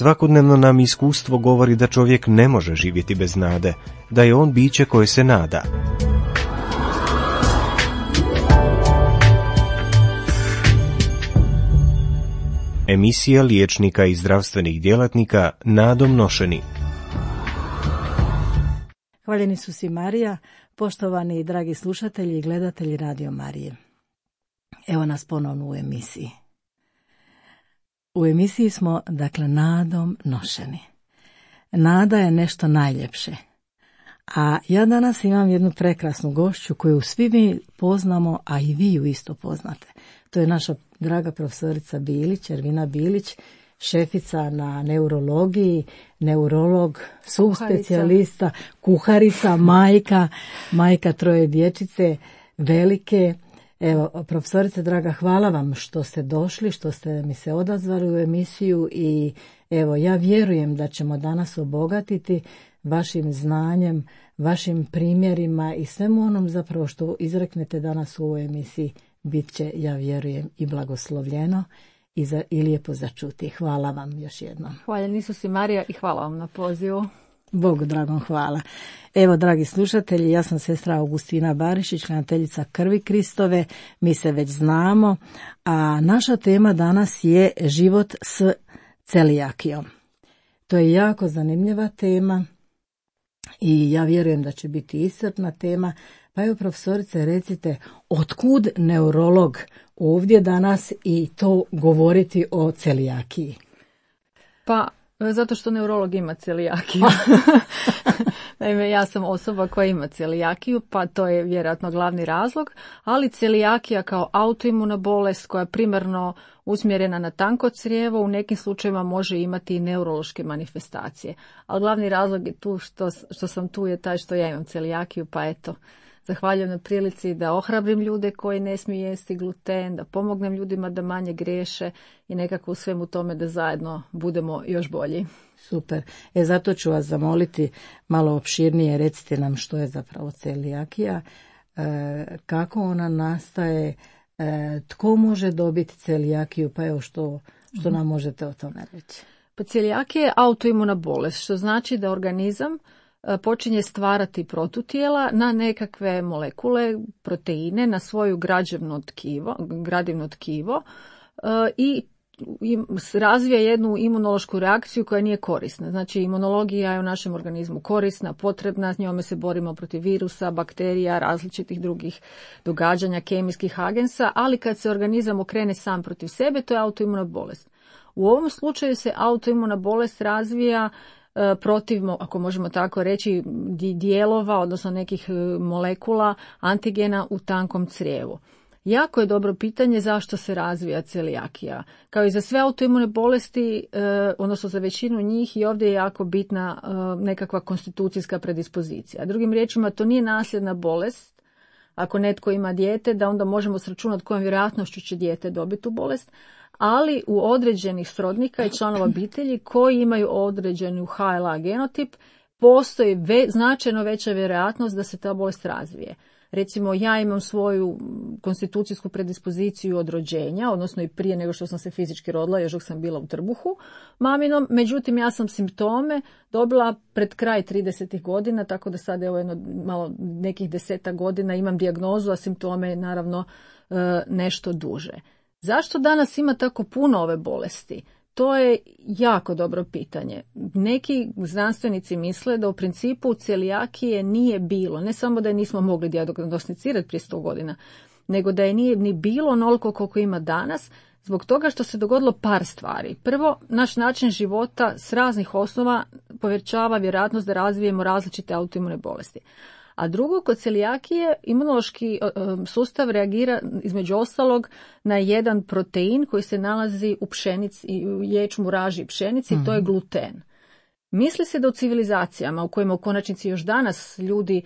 Svakodnevno nam iskustvo govori da čovjek ne može živjeti bez nade, da je on biće koje se nada. Emisija liječnika i zdravstvenih djelatnika nadom nošeni. Hvaljeni su si Marija, poštovani i dragi slušatelji i gledatelji Radio Marije. Evo nas ponovno u emisiji. U emisiji smo, dakle, nadom nošeni. Nada je nešto najljepše. A ja danas imam jednu prekrasnu gošću koju svi mi poznamo, a i vi ju isto poznate. To je naša draga profesorica Bilić, Ervina Bilić, šefica na neurologiji, neurolog, subspecijalista, kuharica, majka 3 dječice, velike. Evo, profesorice draga, hvala vam što ste došli, što ste mi se odazvali u emisiju i evo, ja vjerujem da ćemo danas obogatiti vašim znanjem, vašim primjerima i svemu onom zapravo što izreknete danas u ovoj emisiji bit će, ja vjerujem, i blagoslovljeno i lijepo začuti. Hvala vam još jednom. Hvaljeni su si Marija i hvala vam na pozivu. Bogu dragom hvala. Evo, dragi slušatelji, ja sam sestra Augustina Barišić, hraniteljica krvi Kristove, mi se već znamo, a naša tema danas je život s celijakijom. To je jako zanimljiva tema i ja vjerujem da će biti iscrpna tema. Pa evo, profesorice, recite, otkud neurolog ovdje danas i to govoriti o celijakiji? Pa, zato što neurolog ima celijakiju. Naime, ja sam osoba koja ima celijakiju, pa to je vjerojatno glavni razlog, ali celijakija kao autoimuna bolest koja je primarno usmjerena na tanko crijevo u nekim slučajevima može imati i neurološke manifestacije. Ali glavni razlog je tu što sam tu je taj što ja imam celijakiju, pa eto, zahvaljujem na prilici da ohrabrim ljude koji ne smiju jesti gluten, da pomognem ljudima da manje griješe i nekako u svemu tome da zajedno budemo još bolji. Super. Zato ću vas zamoliti malo opširnije, recite nam što je zapravo celijakija, kako ona nastaje, tko može dobiti celijakiju, pa evo što nam možete o tome reći. Pa celijakija je autoimuna bolest, što znači da organizam počinje stvarati protutijela na nekakve molekule, proteine, na svoju gradivno tkivo i razvija jednu imunološku reakciju koja nije korisna. Znači, imunologija je u našem organizmu korisna, potrebna, s njome se borimo protiv virusa, bakterija, različitih drugih događanja, kemijskih agensa, ali kad se organizam okrene sam protiv sebe, to je autoimuna bolest. U ovom slučaju se autoimuna bolest razvija protiv, ako možemo tako reći, dijelova, odnosno nekih molekula, antigena u tankom crijevu. Jako je dobro pitanje zašto se razvija celijakija. Kao i za sve autoimune bolesti, odnosno za većinu njih, i ovdje je jako bitna nekakva konstitucijska predispozicija. Drugim riječima, to nije nasljedna bolest. Ako netko ima dijete, da onda možemo sračunati kojom vjerojatnošću će dijete dobiti tu bolest, ali u određenih srodnika i članova obitelji koji imaju određenu HLA genotip, postoji značajno veća vjerojatnost da se ta bolest razvije. Recimo, ja imam svoju konstitucijsku predispoziciju od rođenja, odnosno i prije nego što sam se fizički rodila, još dok sam bila u trbuhu maminom, međutim ja sam simptome dobila pred kraj 30 godina, tako da sad evo malo nekih 10 godina imam dijagnozu, a simptome naravno nešto duže. Zašto danas ima tako puno ove bolesti? To je jako dobro pitanje. Neki znanstvenici misle da u principu celijakije nije bilo, ne samo da je nismo mogli dijagnosticirati prije 100 godina, nego da je nije ni bilo onoliko koliko ima danas, zbog toga što se dogodilo par stvari. Prvo, naš način života s raznih osnova povećava vjerojatnost da razvijemo različite autoimune bolesti. A drugo, kod celijakije imunološki sustav reagira između ostalog na jedan protein koji se nalazi u pšenici, u ječmu, raži i pšenici, to je gluten. Misli se da u civilizacijama u kojima u konačnici još danas ljudi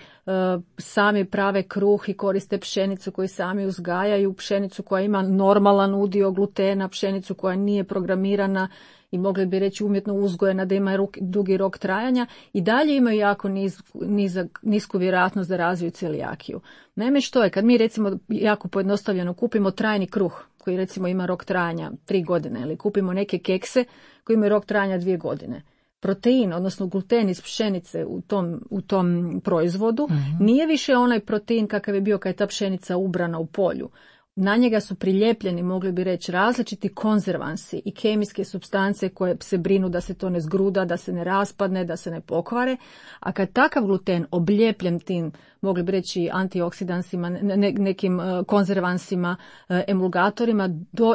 sami prave kruh i koriste pšenicu koju sami uzgajaju, pšenicu koja ima normalan udio glutena, pšenicu koja nije programirana i mogli bi reći umjetno uzgojena, da ima dugi rok trajanja, i dalje imaju jako nisku vjerojatnost da razviju celijakiju. Naime, što je, kad mi recimo jako pojednostavljeno kupimo trajni kruh, koji recimo ima rok trajanja 3 godine, ili kupimo neke kekse koji imaju rok trajanja 2 godine. Protein, odnosno gluten iz pšenice u tom proizvodu, nije više onaj protein kakav je bio kad je ta pšenica ubrana u polju. Na njega su prilijepljeni, mogli bi reći, različiti konzervansi i kemijske supstance koje se brinu da se to ne zgruda, da se ne raspadne, da se ne pokvare. A kad takav gluten oblijepljen tim, mogli bi reći, antioksidansima, nekim konzervansima, emulgatorima,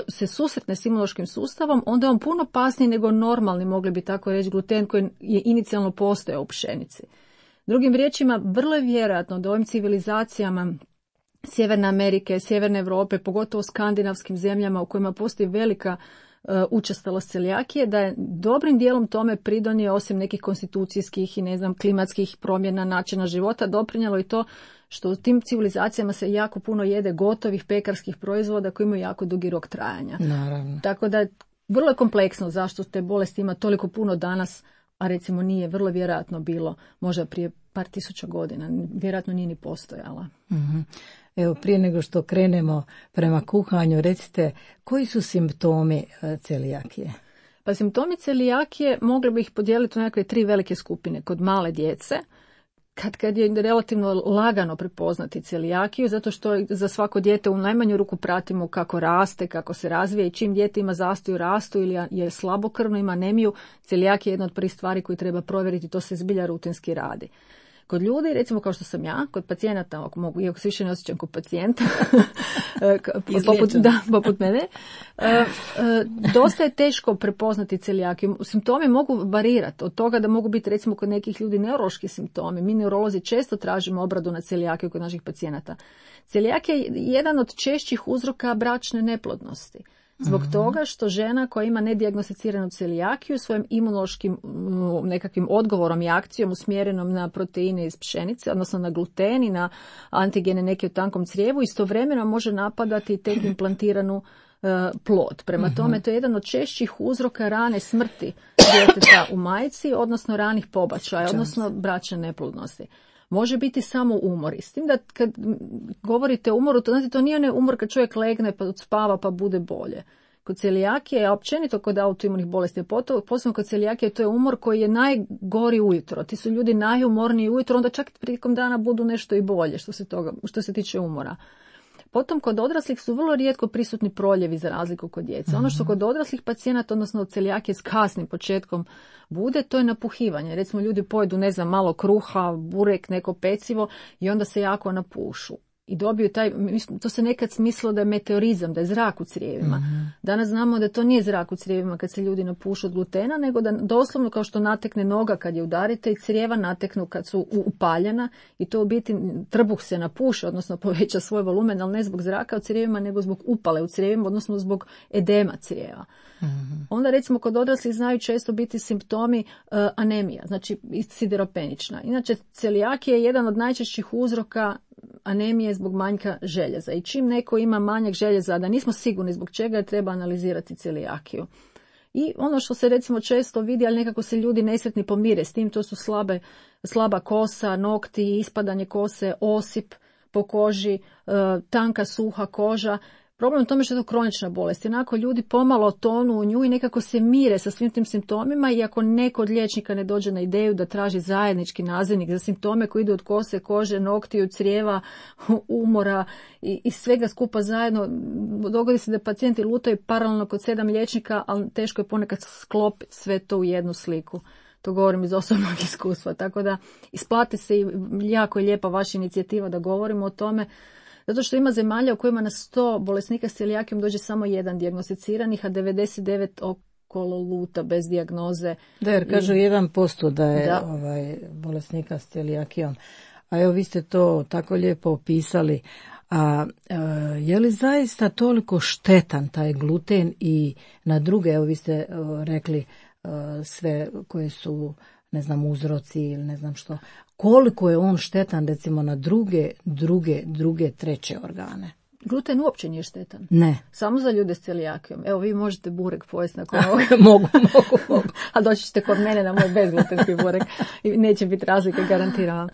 se susretne s imunološkim sustavom, onda je on puno opasniji nego normalni, mogli bi tako reći, gluten koji je inicijalno postojao u pšenici. Drugim riječima, vrlo je vjerojatno da ovim civilizacijama Sjeverne Amerike, Sjeverne Europe, pogotovo skandinavskim zemljama u kojima postoji velika učestalost celijakije, da je dobrim dijelom tome pridonio, osim nekih konstitucijskih i klimatskih promjena načina života, doprinijelo i to što u tim civilizacijama se jako puno jede gotovih pekarskih proizvoda koji imaju jako dugi rok trajanja. Naravno. Tako da je vrlo kompleksno zašto te bolesti ima toliko puno danas, a recimo nije vrlo vjerojatno bilo možda prije par tisuća godina. Vjerojatno nije ni postojala. Mm-hmm. Evo, prije nego što krenemo prema kuhanju, recite, koji su simptomi celijakije? Pa simptomi celijakije mogli bi ih podijeliti u nekakve 3 velike skupine. Kod male djece, kad je relativno lagano prepoznati celijakiju, zato što za svako dijete u najmanju ruku pratimo kako raste, kako se razvija, i čim dijete ima zastoj u rastu ili je slabokrvno, ima anemiju, celijakija je jedna od prvih stvari koju treba provjeriti, to se zbilja rutinski radi. Kod ljudi, recimo kao što sam ja, kod pacijenata, ako mogu, iako se više ne osjećam kod pacijenta, poput mene, dosta je teško prepoznati celijakiju. Simptomi mogu varirati od toga da mogu biti recimo kod nekih ljudi neurološki simptomi. Mi neurolozi često tražimo obradu na celijakiju kod naših pacijenata. Celijakija je jedan od češćih uzroka bračne neplodnosti. Zbog toga što žena koja ima nedijagnosticiranu celijakiju svojim imunološkim nekakvim odgovorom i akcijom usmjerenom na proteine iz pšenice, odnosno na gluten i na antigene neke u tankom crijevu, istovremeno može napadati tek implantiranu plod. Prema tome, to je jedan od češćih uzroka rane smrti djeteta u majci, odnosno ranih pobačaja, odnosno bračne neplodnosti. Može biti samo umor. S tim da kad govorite o umoru, to nije onaj umor kad čovjek legne pa spava pa bude bolje. Kod celijakije, a općenito kod autoimunih bolesti, posebno kod celijakije, to je umor koji je najgori ujutro. Ti su ljudi najumorniji ujutro, onda čak prilikom dana budu nešto i bolje što se tiče umora. Potom kod odraslih su vrlo rijetko prisutni proljevi za razliku kod djece. Ono što kod odraslih pacijenata, odnosno od celijakije s kasnim početkom bude, to je napuhivanje. Recimo ljudi pojedu, malo kruha, burek, neko pecivo i onda se jako napušu. I dobiju to se nekad smislilo da je meteorizam, da je zrak u crijevima. Danas znamo da to nije zrak u crijevima kad se ljudi napušu od glutena, nego da doslovno kao što natekne noga kad je udarite i crijeva nateknu kad su upaljena, i to u biti trbuh se napuše, odnosno poveća svoj volumen, ali ne zbog zraka u crijevima, nego zbog upale u crijevima, odnosno zbog edema crijeva. Onda recimo kod odraslih znaju često biti simptomi anemija, znači sideropenična. Inače, celijakija je jedan od najčešćih uzroka anemije zbog manjka željeza. I čim neko ima manjak željeza, a da nismo sigurni zbog čega, treba analizirati celijakiju. I ono što se recimo često vidi, ali nekako se ljudi nesretni pomire s tim, to su slaba kosa, nokti, ispadanje kose, osip po koži, tanka suha koža. Problem je u tome što je to kronična bolest. Jednako ljudi pomalo tonu u nju i nekako se mire sa svim tim simptomima, i ako neko od liječnika ne dođe na ideju da traži zajednički nazivnik za simptome koji idu od kose, kože, noktiju, crijeva, umora i svega skupa zajedno, dogodi se da pacijenti lutaju paralelno kod 7 liječnika, ali teško je ponekad sklopiti sve to u jednu sliku. To govorim iz osobnog iskustva. Tako da isplati se i jako je lijepa vaša inicijativa da govorimo o tome. Zato što ima zemalja u kojima na 100 bolesnika s celijakijom dođe samo 1 dijagnosticiranih, a 99 okolo luta bez dijagnoze. Da, jer kažu 1% da je bolesnika s celijakijom. A evo, vi ste to tako lijepo opisali. A je li zaista toliko štetan taj gluten i na druge, evo vi ste rekli sve koje su, uzroci ili ne znam što, koliko je on štetan recimo na druge, treće organe? Gluten uopće nije štetan. Ne. Samo za ljude s celijakijom. Evo, vi možete burek pojesti nakon ovoga. mogu. A doći ćete kod mene na moj bezglutenski burek i neće biti razlike, garantiram.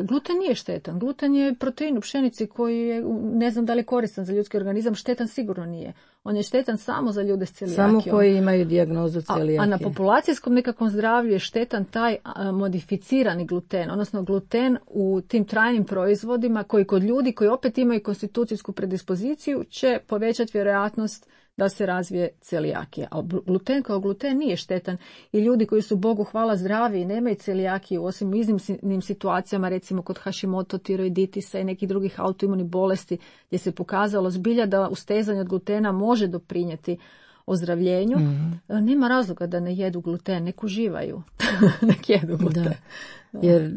Gluten nije štetan. Gluten je protein u pšenici koji je, ne znam da li je koristan za ljudski organizam, štetan sigurno nije. On je štetan samo za ljude s celijakijom. Samo koji imaju dijagnozu celijakije. A na populacijskom nekakvom zdravlju je štetan taj modificirani gluten, odnosno gluten u tim trajnim proizvodima koji kod ljudi koji opet imaju konstitucijsku predispoziciju će povećati vjerojatnost da se razvije celijakija. A gluten kao gluten nije štetan i ljudi koji su Bogu hvala zdravi i nemaju celijakiju, osim u iznimnim situacijama, recimo kod Hashimoto tiroiditisa i nekih drugih autoimunih bolesti, gdje se pokazalo zbilja da ustezanje od glutena može doprinijeti ozdravljenju, nema razloga da ne jedu gluten, nek uživaju, nek jedu gluten. Da. Jer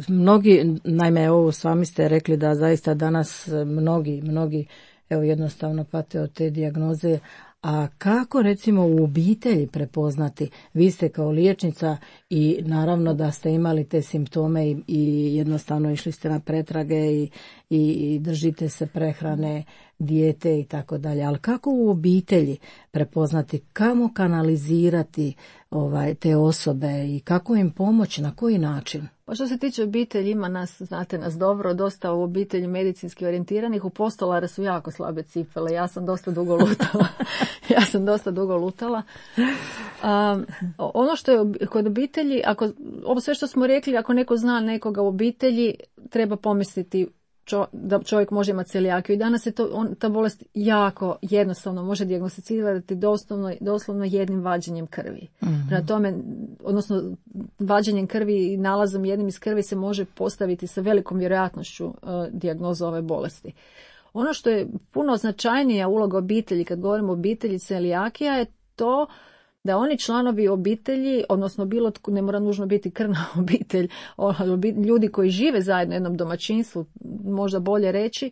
mnogi, naime, ovo sami ste rekli da zaista danas mnogi evo jednostavno pate od te dijagnoze. A kako recimo u obitelji prepoznati? Vi ste kao liječnica i naravno da ste imali te simptome i jednostavno išli ste na pretrage i držite se prehrane, dijete i tako dalje. Ali kako u obitelji prepoznati, kamo kanalizirati te osobe i kako im pomoći, na koji način? Pa što se tiče obitelji, ima nas, znate nas dobro, dosta u obitelji medicinski orijentiranih, u postolare su jako slabe cipele, ja sam dosta dugo lutala. Ono što je kod obitelji, ovo sve što smo rekli, ako neko zna nekoga u obitelji, treba pomisliti da čovjek može imati celijakiju. I danas je ta bolest jako jednostavno može dijagnosticirati doslovno jednim vađenjem krvi. Prema tome, odnosno vađenjem krvi i nalazom jednim iz krvi se može postaviti sa velikom vjerojatnošću dijagnoza ove bolesti. Ono što je puno značajnija uloga obitelji, kad govorimo o obitelji celijakija, je to da oni članovi obitelji, odnosno ne mora nužno biti krvna obitelj, ljudi koji žive zajedno u jednom domaćinstvu, možda bolje reći,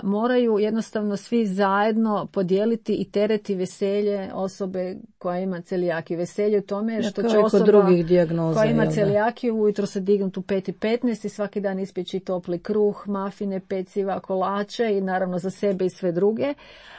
moraju jednostavno svi zajedno podijeliti i tereti veselje osobe koja ima celijakiju. Veselje u tome što će osoba koja ima celijakiju ujutro se dignuti u 5:15 i svaki dan ispjeći topli kruh, mafine, peciva, kolače i naravno za sebe i sve druge.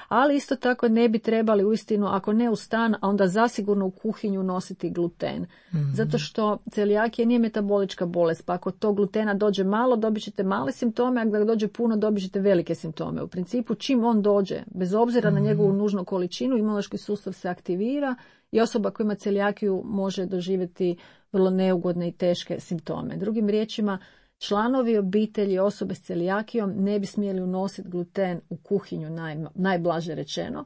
Ali isto tako ne bi trebali uistinu, ako ne u stan, a onda zasigurno u kuhinju nositi gluten. Zato što celijakija nije metabolička bolest, pa ako to glutena dođe malo, dobit ćete male simptome, a ako dođe puno, dobit ćete velike simptome. U principu, čim on dođe, bez obzira na njegovu nužnu količinu, imunološki sustav se aktivira i osoba koja ima celijakiju može doživjeti vrlo neugodne i teške simptome. Drugim riječima, članovi obitelji osobe s celijakijom ne bi smjeli unositi gluten u kuhinju, najblaže rečeno.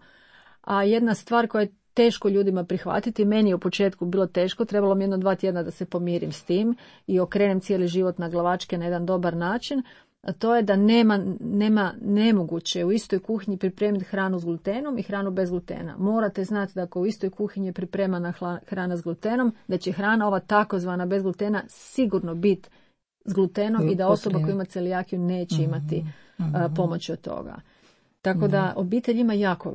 A jedna stvar koja je teško ljudima prihvatiti, meni je u početku bilo teško, trebalo mi 1-2 tjedna da se pomirim s tim i okrenem cijeli život na glavačke na jedan dobar način, a to je da nema nemoguće u istoj kuhinji pripremiti hranu s glutenom i hranu bez glutena. Morate znati da ako u istoj kuhinji je pripremana hrana s glutenom, da će hrana ova takozvana bez glutena sigurno biti s glutenom i da osoba koja ima celijakiju neće imati pomoć od toga. Tako da obitelj ima jako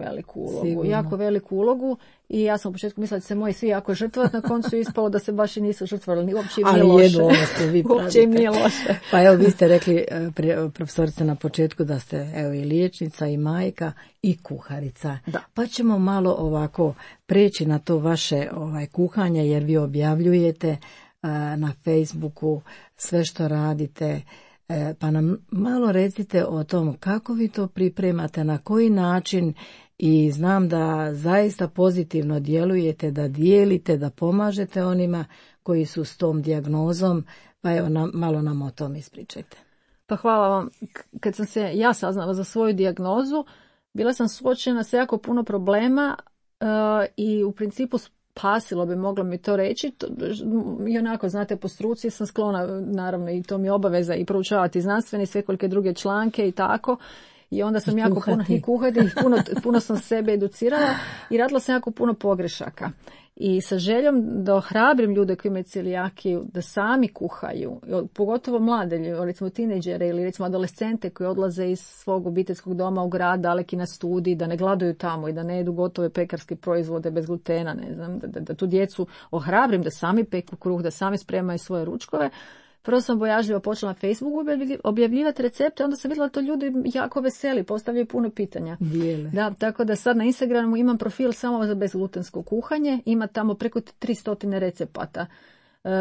veliku ulogu i ja sam u početku mislila da se moji svi jako žrtvovati, na koncu je ispalo da se baš i nisu žrtvovali, uopće im nije loše. Uopće im nije loše. Pa evo, vi ste rekli, profesorice, na početku da ste i liječnica i majka i kuharica. Da. Pa ćemo malo ovako preći na to vaše kuhanje, jer vi objavljujete na Facebooku sve što radite, pa nam malo recite o tom kako vi to pripremate, na koji način, i znam da zaista pozitivno djelujete, da dijelite, da pomažete onima koji su s tom dijagnozom, pa evo malo nam o tom ispričajte. Pa hvala vam. Kad sam se ja saznala za svoju dijagnozu, bila sam suočena sa jako puno problema i u principu spasilo bi, moglo mi to reći. I onako, znate, po struci sam sklona, naravno, i to mi je obaveza i proučavati znanstvene i svekolike druge članke i tako. I onda sam jako puno sam sebe educirala i radila sam jako puno pogrešaka. I sa željom da ohrabrim ljude koji imaju celijakiju da sami kuhaju, pogotovo mlade ljude, recimo tinejdžere ili recimo adolescente koji odlaze iz svog obiteljskog doma u grad daleki na studij, da ne gladuju tamo i da ne jedu gotove pekarske proizvode bez glutena, ne znam, da tu djecu ohrabrim da sami peku kruh, da sami spremaju svoje ručkove. Prvo sam bojažljivo počela na Facebooku objavljivati recepte, onda sam vidjela to ljudi jako veseli, postavljaju puno pitanja. Dijele. Da, tako da sad na Instagramu imam profil samo za bezglutensko kuhanje, ima tamo preko 300 recepata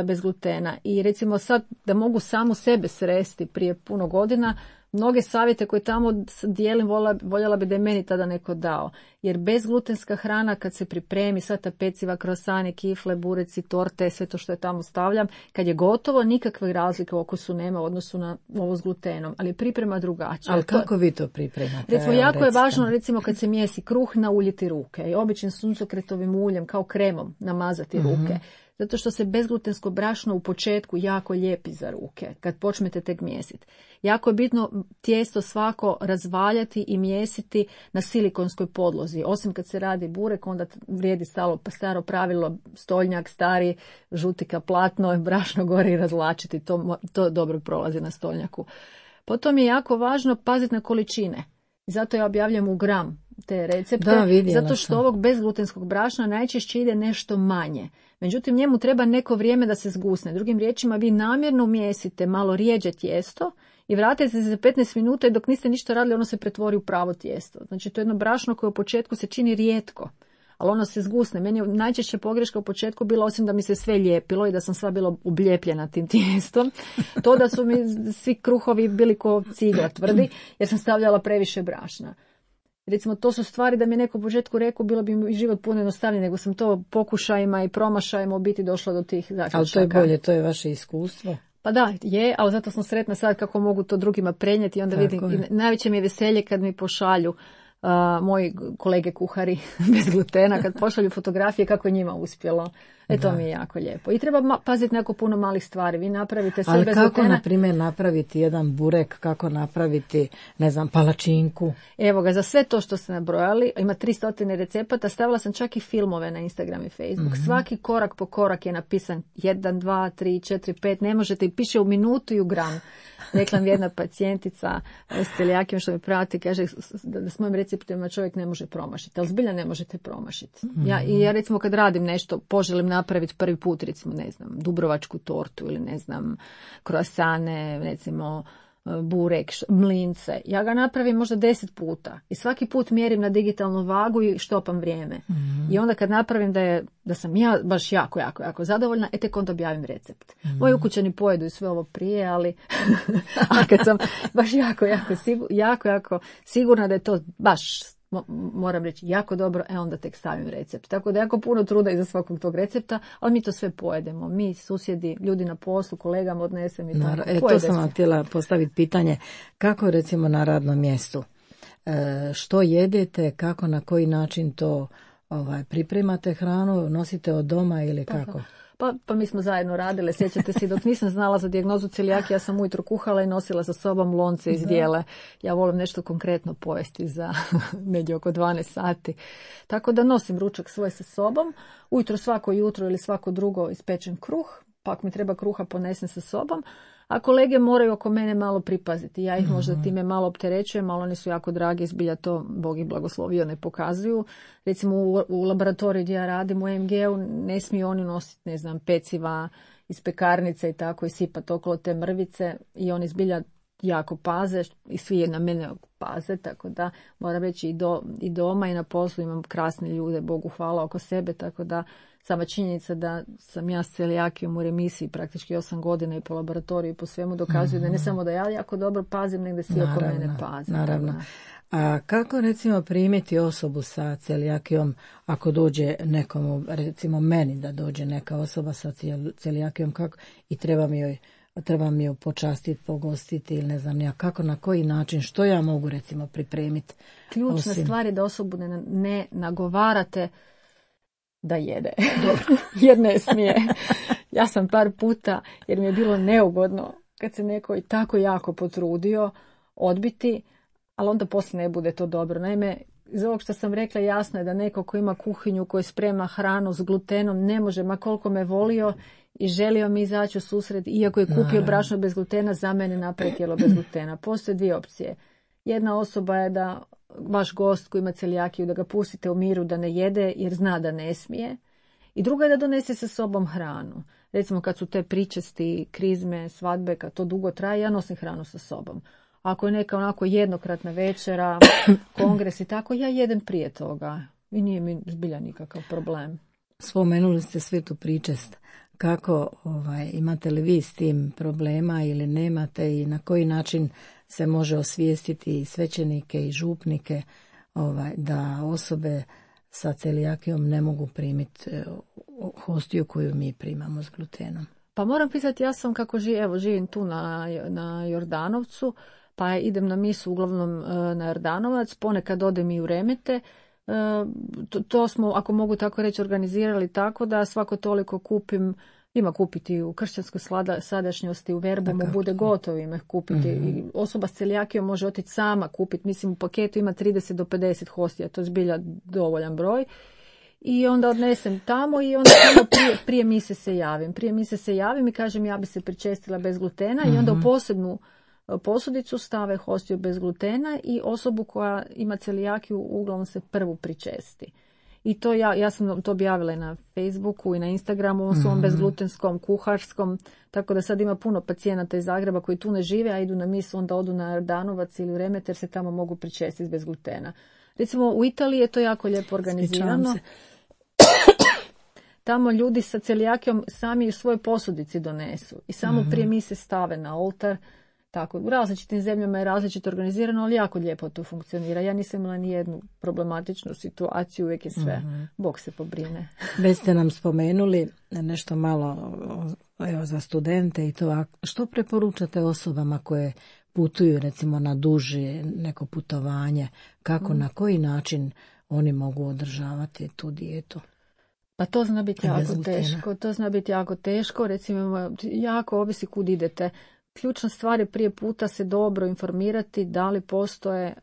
bez glutena. I recimo sad da mogu samu sebe sresti prije puno godina, mnoge savjete koje tamo dijelim voljela bi da je meni tada neko dao. Jer bezglutenska hrana kad se pripremi, sva ta peciva, krosane, kifle, bureci, torte, sve to što je tamo stavljam, kad je gotovo nikakve razlike u okusu nema u odnosu na ovo s glutenom, ali je priprema drugačija. Ali kako vi to pripremate? Recimo, jako je važno, recimo kad se mijesi kruh, nauljiti ruke i običnim suncokretovim uljem kao kremom namazati ruke. Zato što se bezglutensko brašno u početku jako lijepi za ruke, kad počnete tek mjesiti. Jako je bitno tijesto svako razvaljati i mjesiti na silikonskoj podlozi. Osim kad se radi burek, onda vrijedi staro pravilo, stoljnjak, stari, žutika, platno, brašno gore i razvlačiti. To dobro prolazi na stoljnjaku. Potom je jako važno paziti na količine. Zato ja objavljam u gram te recepte, zato što ovog bezglutenskog brašna najčešće ide nešto manje. Međutim, njemu treba neko vrijeme da se zgusne. Drugim riječima, vi namjerno mijesite malo rijeđe tijesto i vratite se za 15 minuta i dok niste ništa radili, ono se pretvori u pravo tijesto. Znači, to je jedno brašno koje u početku se čini rijetko, ali ono se zgusne. Meni je najčešće pogreška u početku bila, osim da mi se sve lijepilo i da sam sva bila ubljepljena tim tijestom, to da su mi svi kruhovi bili ko cigla tvrdi, jer sam stavljala previše brašna. Recimo, to su stvari da mi je neko u početku rekao, bilo bi mi život puno jednostavnije, nego sam to pokušajima i promašajima u biti došla do tih zaključaka. Ali to je bolje, to je vaše iskustvo. Pa da, je, ali zato sam sretna sad kako mogu to drugima prenijeti i onda vidim. I najveće mi je veselje kad mi pošalju moji kolege kuhari bez glutena, kad pošalju fotografije kako je njima uspjelo. To mi je jako lijepo. I treba paziti na puno malih stvari. Vi napravite sve bez glutena. Ali kako, na primjer, napraviti jedan burek, kako napraviti, ne znam, palačinku? Evo ga, za sve to što ste nabrojali, ima 300 recepata, stavila sam čak i filmove na Instagram i Facebook. Svaki korak po korak je napisan 1, 2, 3, 4, 5, ne možete, i piše u minutu i u gram. Rekla mi jedna pacijentica s celijakijom što me prati, kaže da s mojim receptima čovjek ne može promašiti, ali zbilja ne možete promašiti. Ja recimo kad radim nešto, poželim napraviti prvi put, recimo, ne znam, dubrovačku tortu ili ne znam, kroasane, recimo burek, mlince. Ja ga napravim možda 10 puta i svaki put mjerim na digitalnu vagu i štopam vrijeme. I onda kad napravim da sam ja baš jako zadovoljna, tek onda objavim recept. Moji ukućani pojedu i sve ovo prije, ali a kad sam baš jako sigurna da je to baš, moram reći, jako dobro, onda tek stavim recept. Tako da jako puno truda iza svakog tog recepta, ali mi to sve pojedemo. Mi, susjedi, ljudi na poslu, kolegama odnesem i tako. To sam vam htjela postaviti pitanje. Kako recimo na radnom mjestu? Što jedete, kako, na koji način to pripremate hranu, nosite od doma ili kako? Pa mi smo zajedno radile, sjećate se, dok nisam znala za dijagnozu celijakije, ja sam ujutro kuhala i nosila sa sobom lonce iz dijele. Ja volim nešto konkretno pojesti za negdje oko 12 sati. Tako da nosim ručak svoj sa sobom, ujutro svako jutro ili svako drugo ispečem kruh, pa ako mi treba kruha ponesem sa sobom, a kolege moraju oko mene malo pripaziti. Ja ih možda time malo opterećujem, ali oni su jako dragi, zbilja to, Bog ih blagoslovio, ne pokazuju. Recimo u laboratoriju gdje ja radim, u MG-u, ne smiju oni nositi, ne znam, peciva iz pekarnice i tako i sipati okolo te mrvice i oni zbilja jako paze i svi na mene paze, tako da moram reći i doma i na poslu imam krasne ljude, Bogu hvala, oko sebe, tako da sama činjenica da sam ja s celijakijom u remisiji praktički 8 godina i po laboratoriju i po svemu dokazuje da ne samo da ja jako dobro pazim, nego da svi oko mene paze. Naravno. A kako recimo primiti osobu sa celijakijom ako dođe nekomu, recimo meni da dođe neka osoba sa celijakijom, kako, i treba mi ju počastiti, pogostiti ili ne znam ja kako, na koji način, što ja mogu recimo pripremiti? Ključna stvar je da osobu ne nagovarate da jede, jer ne smije. Ja sam par puta, jer mi je bilo neugodno kad se neko i tako jako potrudio odbiti, ali onda poslije ne bude to dobro. Naime, iz ovog što sam rekla, jasno je da neko ko ima kuhinju, koji sprema hranu s glutenom, ne može, ma koliko me volio i želio mi izaći u susret, iako je kupio brašno bez glutena, za mene napravi tijelo bez glutena. Postoje dvije opcije. Jedna osoba je da vaš gost koji ima celijakiju, da ga pustite u miru da ne jede jer zna da ne smije. I druga je da donese sa sobom hranu. recimo kad su te pričesti, krizme, svadbe, kad to dugo traje, ja nosim hranu sa sobom. Ako je neka onako jednokratna večera, kongres i tako, ja jedem prije toga i nije mi zbilja nikakav problem. Spomenuli ste Svetu pričest. Kako imate li vi s tim problema ili nemate i na koji način se može osvijestiti i svećenike i župnike da osobe sa celijakijom ne mogu primiti hostiju koju mi primamo s glutenom? Pa moram pisati, ja sam kako živim tu na Jordanovcu, pa idem na misu uglavnom na Jordanovac, ponekad odem i u Remete. To smo, ako mogu tako reći, organizirali tako da svako toliko ima kupiti u kršćanskoj sadašnjosti, u Verbomu bude gotovo ima kupiti. I osoba s celijakijom može otići sama kupiti. Mislim, u paketu ima 30 do 50 hostija, to je zbilja dovoljan broj. I onda odnesem tamo i onda prije mise se javim. Prije mise se javim i kažem ja bi se pričestila bez glutena i onda u posebnu posudicu stave hostiju bez glutena i osobu koja ima celijakiju uglavnom se prvu pričesti. I to ja sam to objavila i na Facebooku i na Instagramu, u svom bezglutenskom, kuharskom, tako da sad ima puno pacijenata iz Zagreba koji tu ne žive, a idu na misu, onda odu na Jordanovac ili u Remet jer se tamo mogu pričestiti bez glutena. Recimo u Italiji je to jako lijepo organizirano. Tamo ljudi sa celijakijom sami u svojoj posudici donesu i samo prije mise stave na oltar. Tako, u različitim zemljama je različito organizirano, ali jako lijepo to funkcionira. Ja nisam imala ni jednu problematičnu situaciju, uvijek je sve. Bog se pobrine. Već ste nam spomenuli nešto malo za studente i to. Što preporučate osobama koje putuju recimo na duže neko putovanje? Kako, na koji način oni mogu održavati tu dijetu? Pa to zna biti jako teško. To zna biti jako teško. Recimo, jako ovisi kud idete. Ključna stvar je prije puta se dobro informirati da li postoje,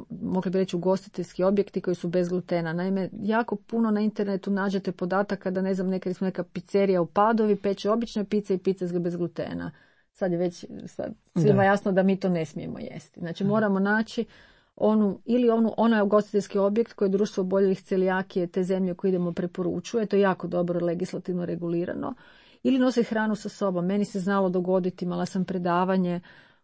mogli bi reći, ugostiteljski objekti koji su bez glutena. Naime, jako puno na internetu nađete podataka da, ne znam, neka pizzerija u Padovi peče obične pice i pice bez glutena. Sad je već svima jasno da mi to ne smijemo jesti. Znači, moramo naći onaj ugostiteljski objekt koji je Društvo oboljelih celijakije te zemlje koje idemo preporučuje. To je jako dobro legislativno regulirano. Ili nositi hranu sa sobom. Meni se znalo dogoditi, imala sam predavanje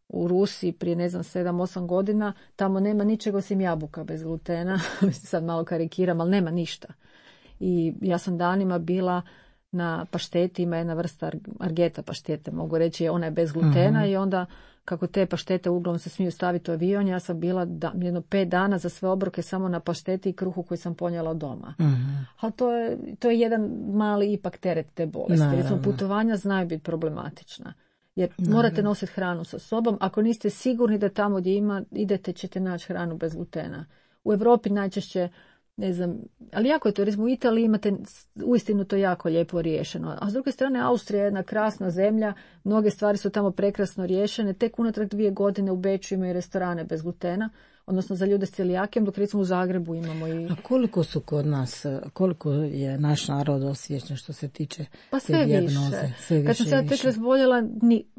u Rusiji prije 7-8 godina, tamo nema ničega osim jabuka bez glutena, sad malo karikiram, ali nema ništa. I ja sam danima bila na pašteti, ima jedna vrsta argeta paštete, mogu reći, ona je bez glutena i onda kako te paštete uglavnom se smiju staviti u avion, ja sam bila jedno 5 dana za sve obroke samo na pašteti i kruhu koji sam ponijela od doma. Ali to je jedan mali ipak teret te bolesti. Recimo, putovanja znaju biti problematična. Jer morate nositi hranu sa sobom. Ako niste sigurni da tamo gdje idete ćete naći hranu bez glutena. U Europi najčešće, ne znam, ali jako je to, recimo u Italiji imate uistinu to jako lijepo riješeno. A s druge strane, Austrija je jedna krasna zemlja, mnoge stvari su tamo prekrasno riješene, tek unatrag 2 godine u Beču imaju restorane bez glutena, odnosno za ljude s celijakijom, dok recimo u Zagrebu imamo i... A koliko su kod nas, koliko je naš narod osviješten što se tiče te dijagnoze? Sve više. Kad sam se ja tek razboljela,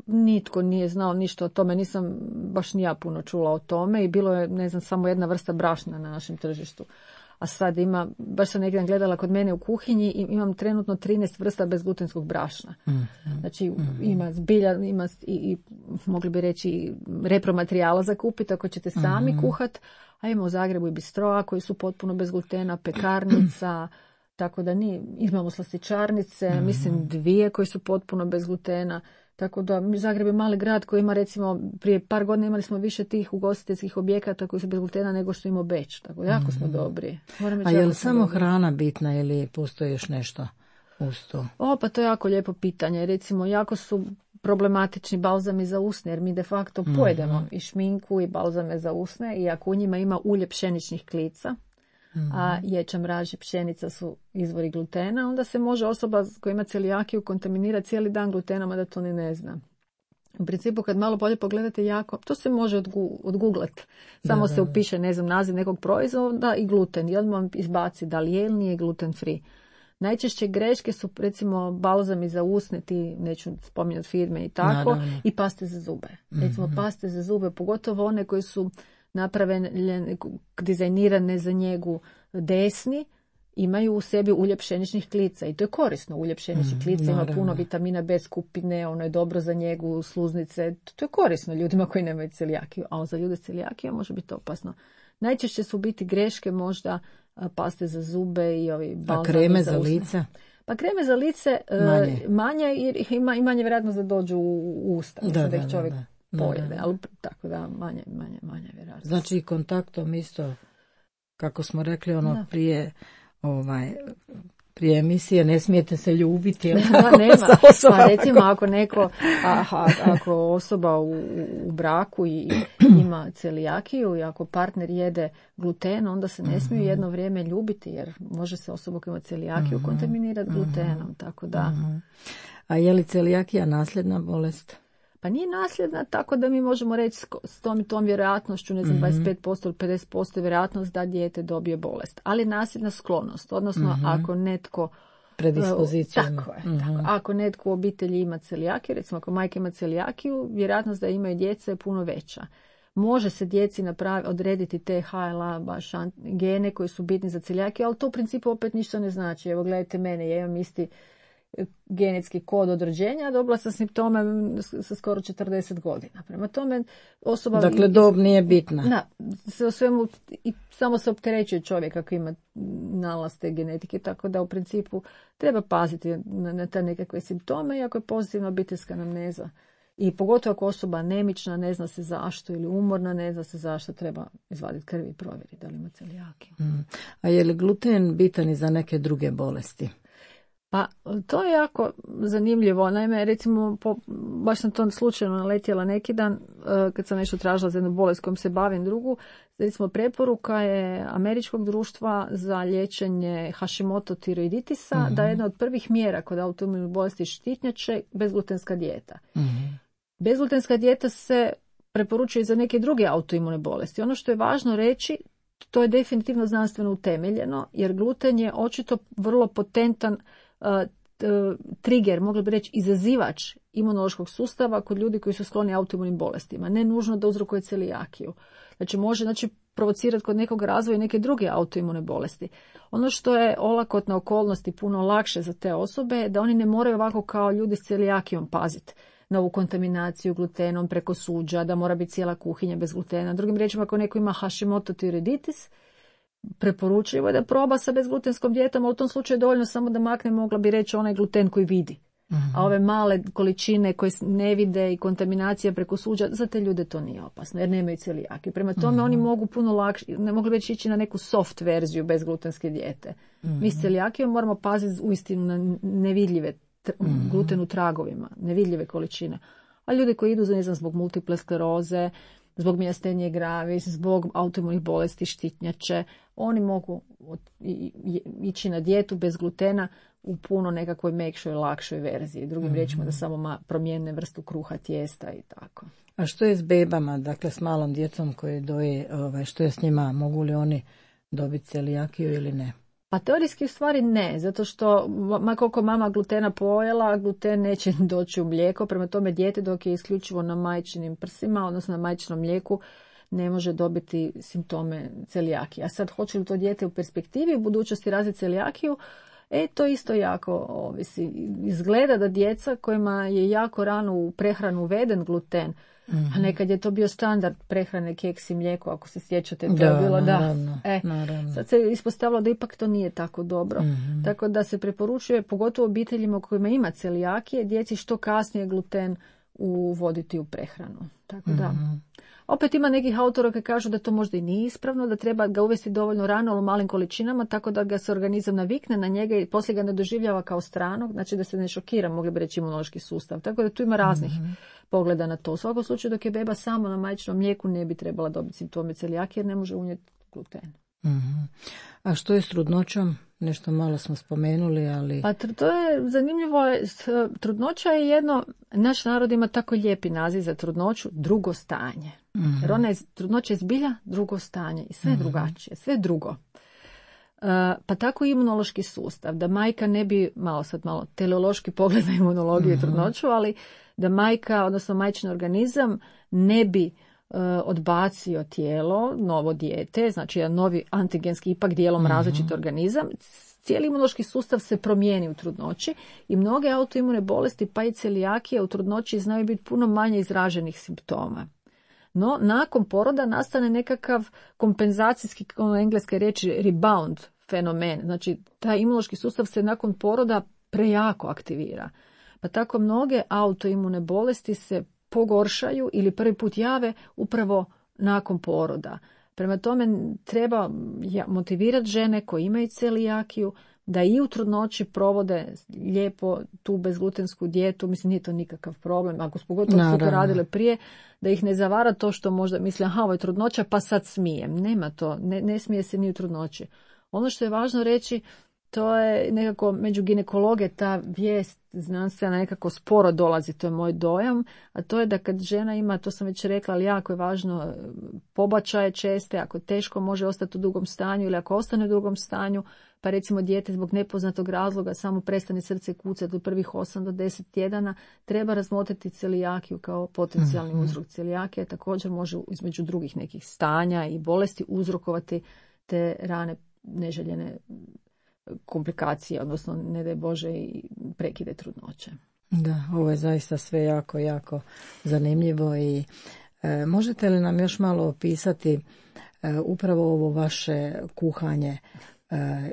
nitko nije znao ništa o tome, nisam baš ni ja puno čula o tome i bilo je, ne znam, samo jedna vrsta brašna na našem tržištu. A sad baš sam negdje gledala kod mene u kuhinji i imam trenutno 13 vrsta bezglutenskog brašna. Znači ima zbilja, ima i mogli bi reći repromaterijala za kupiti ako ćete sami kuhat. A ima u Zagrebu i bistroa koji su potpuno bez glutena, pekarnica, tako da imamo slastičarnice, mislim 2 koji su potpuno bez glutena. Tako da Zagreb je mali grad koji ima, recimo, prije par godina imali smo više tih ugostiteljskih objekata koji su bez glutena nego što ima Beč. Tako jako smo dobri. A je li samo hrana bitna ili postoji još nešto uz to? Pa to je jako lijepo pitanje. Recimo, jako su problematični balzami za usne, jer mi de facto pojedemo i šminku i balzame za usne i ako u njima ima ulje pšeničnih klica, a ječam, raž i pšenica su izvori glutena, onda se može osoba koja ima celijakiju kontaminirati cijeli dan glutenom, a da to ni ne zna. U principu, kad malo bolje pogledate, to se može odgooglat. Samo se upiše, ne znam, naziv nekog proizvoda i gluten. I odmah izbaci da li je ili nije gluten free. Najčešće greške su, recimo, balzami za usne, ti neću spominjati firme i tako, i paste za zube. Recimo, paste za zube, pogotovo one koje su napravljene, dizajnirane za njegu desni imaju u sebi ulje pšeničnih klica i to je korisno. Ulje pšeničnih klica ima puno vitamina B skupine, ono je dobro za njegu sluznice, to je korisno ljudima koji nemaju celijakiju, a za ljude s celijakijom može biti opasno. Najčešće su biti greške možda paste za zube i ovi balzami. A kreme za lice? Pa kreme za lice manje jer ima i manje vjerojatnost da dođu u usta, da ih čovjek pojede, ali tako da manje vjerojatnost. Znači kontaktom isto, kako smo rekli prije emisije, ne smijete se ljubiti. Nema. Pa recimo ako ako osoba u braku i ima celijakiju i ako partner jede gluten, onda se ne smiju jedno vrijeme ljubiti jer može se osoba koja ima celijakiju kontaminirati glutenom. Tako da. A je li celijakija nasljedna bolest? Pa nije nasljedna, tako da mi možemo reći s tom vjerojatnošću, 25% ili 50% vjerojatnost da dijete dobije bolest. Ali nasljedna sklonost, odnosno ako netko predispoziciju ima. Tako je. Tako. Ako netko u obitelji ima celijakiju, recimo ako majka ima celijakiju, vjerojatnost da imaju djeca je puno veća. Može se djeci odrediti te HLA baš gene koji su bitni za celijakiju, ali to u principu opet ništa ne znači. Evo gledajte mene, ja imam isti genetski kod od rođenja, dobila sam simptome sa skoro 40 godina. Prema tome osoba... Dakle, dob nije bitna. Da, o svemu, i samo se opterećuje čovjek ako ima nalaz te genetike, tako da u principu treba paziti na te nekakve simptome i ako je pozitivna obiteljska anamneza. I pogotovo ako osoba anemična, ne zna se zašto, ili umorna, ne zna se zašto, treba izvaditi krv i provjeriti da li ima celijakiju. A je li gluten bitan i za neke druge bolesti? Pa to je jako zanimljivo. Naime, recimo, baš sam to slučajno naletjela neki dan kad sam nešto tražila za jednu bolest kojom se bavim drugu. Recimo, preporuka je Američkog društva za liječenje Hashimoto tiroiditisa da je jedna od prvih mjera kod autoimunih bolesti štitnjače bezglutenska dijeta. Bezglutenska dijeta se preporučuje i za neke druge autoimune bolesti. Ono što je važno reći, to je definitivno znanstveno utemeljeno, jer gluten je očito vrlo potentan trigger, mogli bi reći izazivač imunološkog sustava kod ljudi koji su skloni autoimunim bolestima. Ne nužno da uzrokuje celijakiju. Znači može provocirati kod nekog razvoja neke druge autoimune bolesti. Ono što je olakotna okolnost i puno lakše za te osobe je da oni ne moraju ovako kao ljudi s celijakijom paziti na ovu kontaminaciju glutenom preko suđa, da mora biti cijela kuhinja bez glutena. Drugim riječima, ako neko ima Hashimoto tiroiditis, preporučljivo je da proba sa bezglutenskom dijetom, ali u tom slučaju je dovoljno samo da makne, mogla bi reći, onaj gluten koji vidi. A ove male količine koje ne vide i kontaminacija preko suđa, za te ljude to nije opasno, jer nemaju celijakiju. Prema tome oni mogu puno lakše, ne mogli već ići na neku soft verziju bezglutenske dijete. Mi s celijakijom moramo paziti uistinu na nevidljive gluten u tragovima, nevidljive količine. A ljudi koji idu zbog multiple skleroze, zbog mijastenije gravis, zbog autoimunih bolesti štitnjače, oni mogu ići na dijetu bez glutena u puno nekakvoj mekšoj, lakšoj verziji. Drugim riječima da samo promijene vrstu kruha, tijesta i tako. A što je s bebama, dakle s malom djecom koji doje, što je s njima, mogu li oni dobiti celijakiju ili ne? Pa teorijski u stvari ne, zato što koliko mama glutena pojela, gluten neće doći u mlijeko, prema tome dijete dok je isključivo na majčinim prsima, odnosno na majčinom mlijeku, ne može dobiti simptome celijakije. A sad hoće li to dijete u perspektivi u budućnosti razviti celijakiju, to isto jako ovisi. Izgleda da djeca kojima je jako rano u prehranu uveden gluten, a nekad je to bio standard prehrane, keks i mlijeko, ako se sjećate, to je bilo naravno. Sad se ispostavilo da ipak to nije tako dobro. Tako da se preporučuje, pogotovo obiteljima u kojima ima celijakije, djeci što kasnije gluten uvoditi u prehranu. Tako da. Opet ima nekih autora koji kažu da to možda i nije ispravno, da treba ga uvesti dovoljno rano, ali u malim količinama, tako da ga se organizam navikne na njega i poslije ga ne doživljava kao stranog, znači da se ne šokira, mogli bi reći, imunološki sustav. Tako da tu ima raznih pogleda na to. U svakom slučaju, dok je beba samo na majčinom mlijeku, ne bi trebala dobiti simptome celijakije jer ne može unijeti gluten. A što je s trudnoćom? Nešto malo smo spomenuli, ali... Pa to je zanimljivo. Trudnoća je jedno, naš narod ima tako lijepi naziv za trudnoću, drugo stanje. Jer trudnoća je zbilja drugo stanje i sve drugačije, sve drugo. Pa tako i imunološki sustav, da majka ne bi, malo teleološki pogled na imunologiju i trudnoću, ali da majka, odnosno majčin organizam, ne bi odbacio tijelo, novo dijete, znači jedan novi antigenski ipak dijelom različit organizam, cijeli imunološki sustav se promijeni u trudnoći i mnoge autoimune bolesti pa i celijakija u trudnoći znaju biti puno manje izraženih simptoma. No, nakon poroda nastane nekakav kompenzacijski, engleske riječi, rebound fenomen. Znači, taj imunološki sustav se nakon poroda prejako aktivira. Pa tako mnoge autoimune bolesti se pogoršaju ili prvi put jave upravo nakon poroda. Prema tome treba motivirati žene koje imaju celijakiju da i u trudnoći provode lijepo tu bezglutensku dijetu. Mislim, nije to nikakav problem. Ako pogotovo su to radile prije, da ih ne zavara to što možda misle, ovo je trudnoća pa sad smijem. Nema to, ne smije se ni u trudnoći. Ono što je važno reći, to je nekako među ginekologe ta vijest znanstvena nekako sporo dolazi, to je moj dojam, a to je da kad žena ima, to sam već rekla, ali jako je važno, pobačaje česte, ako teško može ostati u dugom stanju ili ako ostane u dugom stanju, pa recimo dijete zbog nepoznatog razloga samo prestane srce kucati u prvih 8 do 10 tjedana, treba razmotriti celijakiju kao potencijalni uzrok. Celijakija također može između drugih nekih stanja i bolesti uzrokovati te rane neželjene komplikacije, odnosno ne daj Bože i prekide trudnoće. Da, ovo je zaista sve jako, jako zanimljivo i možete li nam još malo opisati upravo ovo vaše kuhanje?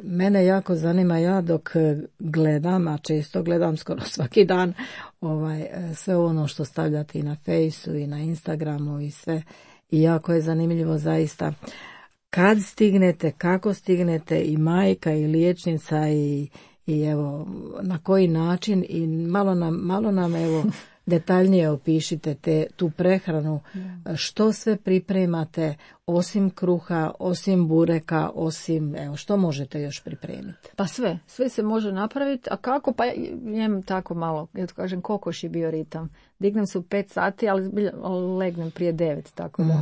Mene jako zanima, ja dok gledam, a često gledam skoro svaki dan sve ono što stavljate i na Fejsu i na Instagramu i sve, i jako je zanimljivo zaista. Kad stignete, kako stignete, i majka i liječnica i evo na koji način, i malo nam evo detaljnije opišite tu prehranu, što sve pripremate osim kruha, osim bureka, osim, evo, što možete još pripremiti? Pa sve se može napraviti, a kako? Pa jem tako malo, ja to kažem, kokošji bioritam. Dignem se u 5 sati, ali legnem prije 9, tako da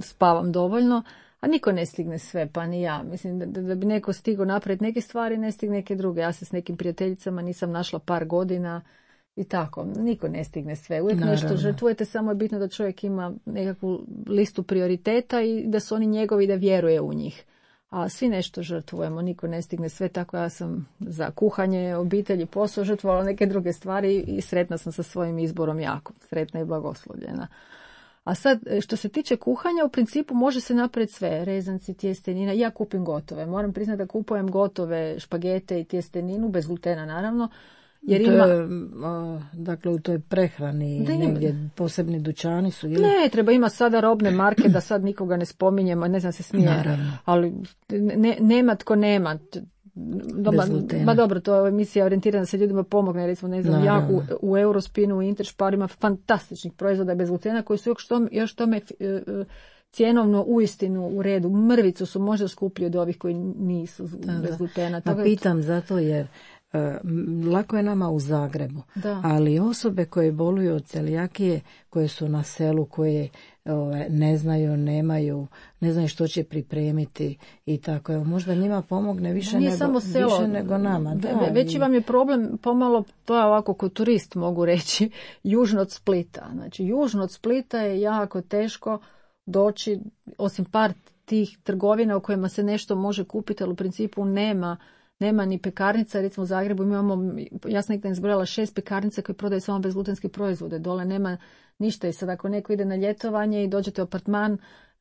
spavam dovoljno. A niko ne stigne sve, pa ni ja. Mislim da bi neko stigao napraviti neke stvari, ne stigne neke druge. Ja se s nekim prijateljicama nisam našla par godina i tako. Niko ne stigne sve. Uvijek nešto žrtvujete, samo je bitno da čovjek ima nekakvu listu prioriteta i da su oni njegovi, da vjeruje u njih. A svi nešto žrtvujemo, niko ne stigne sve, tako ja sam za kuhanje, obitelji, posao žrtvovala neke druge stvari i sretna sam sa svojim izborom, jako sretna i blagoslovljena. A sad, što se tiče kuhanja, u principu može se napraviti sve, rezanci, tjestenina. Ja kupim gotove. Moram priznati da kupujem gotove špagete i tjesteninu, bez glutena naravno. Jer dakle, u toj prehrani negdje posebni dućani su? Ili? Ne, ima sada robne marke, da sad nikoga ne spominjemo, ne znam se smije. Naravno. Ali nema tko nema. Dobro, to je emisija orijentirana da se ljudima pomogne, recimo, ne znam, ja u Eurospinu, u Interšparu ima fantastičnih proizvoda bez glutena koji su još tome cjenovno uistinu u redu. Mrvicu su možda skuplji od ovih koji nisu bez glutena. Pa pitam zato jer lako je nama u Zagrebu, ali osobe koje boluju od celijakije, koje su na selu, koje ne znaju, ne znaju što će pripremiti i tako, možda njima pomogne više nego nama. Veći vam je problem pomalo, to je ovako kao turist mogu reći, južno od Splita. Znači, južno od Splita je jako teško doći, osim par tih trgovina u kojima se nešto može kupiti, ali u principu nema ni pekarnica. Recimo u Zagrebu imamo, ja sam nekada izbrojala 6 pekarnica koje prodaju samo bezglutenske proizvode. Dole nema ništa i sad ako neko ide na ljetovanje i dođete u apartman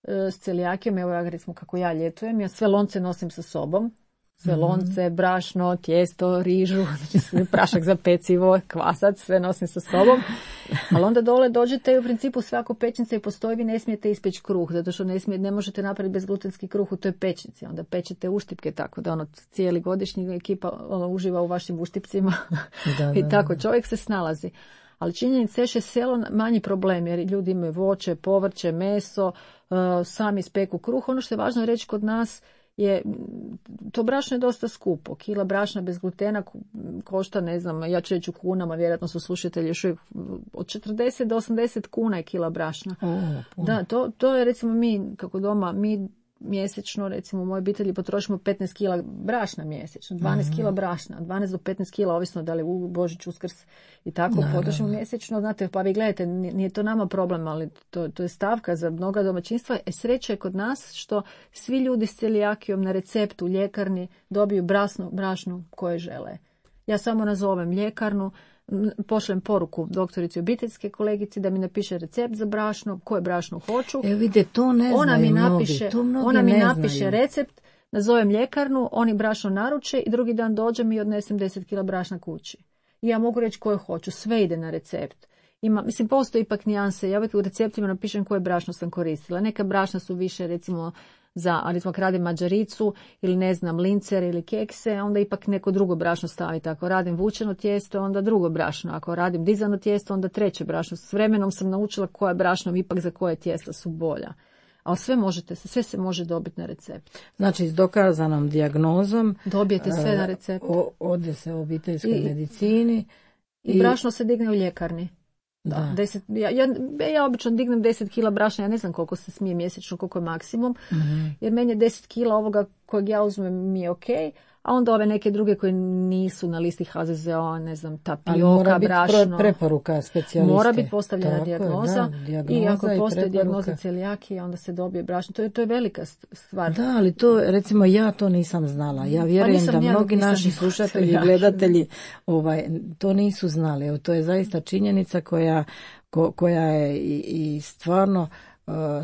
s celijakijom, evo ja recimo kako ja ljetujem, ja sve lonce nosim sa sobom. Sve lonce, brašno, tijesto, rižu, znači prašak za pecivo, kvasac, sve nosim sa sobom. Ali onda dole dođete i u principu svako pećnica i postoji, vi ne smijete ispeći kruh, zato što ne možete napraviti bezglutenski kruh u toj pećnici. Onda pečete uštipke, tako da cijeli godišnji ekipa uživa u vašim uštipcima. I tako čovjek se snalazi. Ali činjenica je selo manji problem, jer ljudi imaju voće, povrće, meso, sami speku kruh. Ono što je važno reći kod nas je, to brašno je dosta skupo. Kila brašna bez glutena košta, ne znam, ja ću reći u kunama, vjerojatno su slušatelji još uvijek, od 40 do 80 kuna je kila brašna. Da, to je recimo mi, kako doma, mi mjesečno, recimo u mojoj obitelji potrošimo 15 kila brašna mjesečno, 12 kila brašna, 12 do 15 kila, ovisno da li u Božić, Uskrs i tako potrošimo mjesečno. Znate, pa vi gledajte, nije to nama problem, ali to je stavka za mnoga domaćinstva. Sreća je kod nas što svi ljudi s celijakijom na receptu u ljekarni dobiju brašno koje žele. Ja samo nazovem ljekarnu, pošlem poruku doktorici obiteljske kolegici da mi napiše recept za brašno, koje brašno hoću. Vidite, to ne znaju Ona mi napiše recept, nazovem ljekarnu, oni brašno naruče i drugi dan dođem i odnesem 10 kila brašna kući. I ja mogu reći koje hoću, sve ide na recept. Postoji ipak nijanse, ja uvijek u receptima napišem koje brašno sam koristila. Neka brašna su više, recimo, ako radim mađaricu ili ne znam, lincer ili kekse, onda ipak neko drugo brašno staviti. Ako radim vučeno tijesto, onda drugo brašno. Ako radim dizano tijesto, onda treće brašno. S vremenom sam naučila koja brašno ipak za koje tijesta su bolja. Ali sve se može dobiti na recept. Znači, s dokazanom dijagnozom dobijete sve na recept. Ode se u obiteljskoj medicini. I brašno se digne u ljekarni. Da. Ja obično dignem 10 kila brašna, ja ne znam koliko se smije mjesečno, koliko je maksimum, jer meni je 10 kila ovoga kojeg ja uzmem mi je ok, a onda ove neke druge koje nisu na listi HZZO, ne znam, tapioka, brašno. Mora biti preporuka specijaliste. Mora biti postavljena dijagnoza i ako postoji dijagnoza celijakije, onda se dobije brašno. To je velika stvar. Da, ali to, recimo, ja to nisam znala. Ja vjerujem da mnogi naši slušatelji i gledatelji to nisu znali. Evo, to je zaista činjenica koja je i stvarno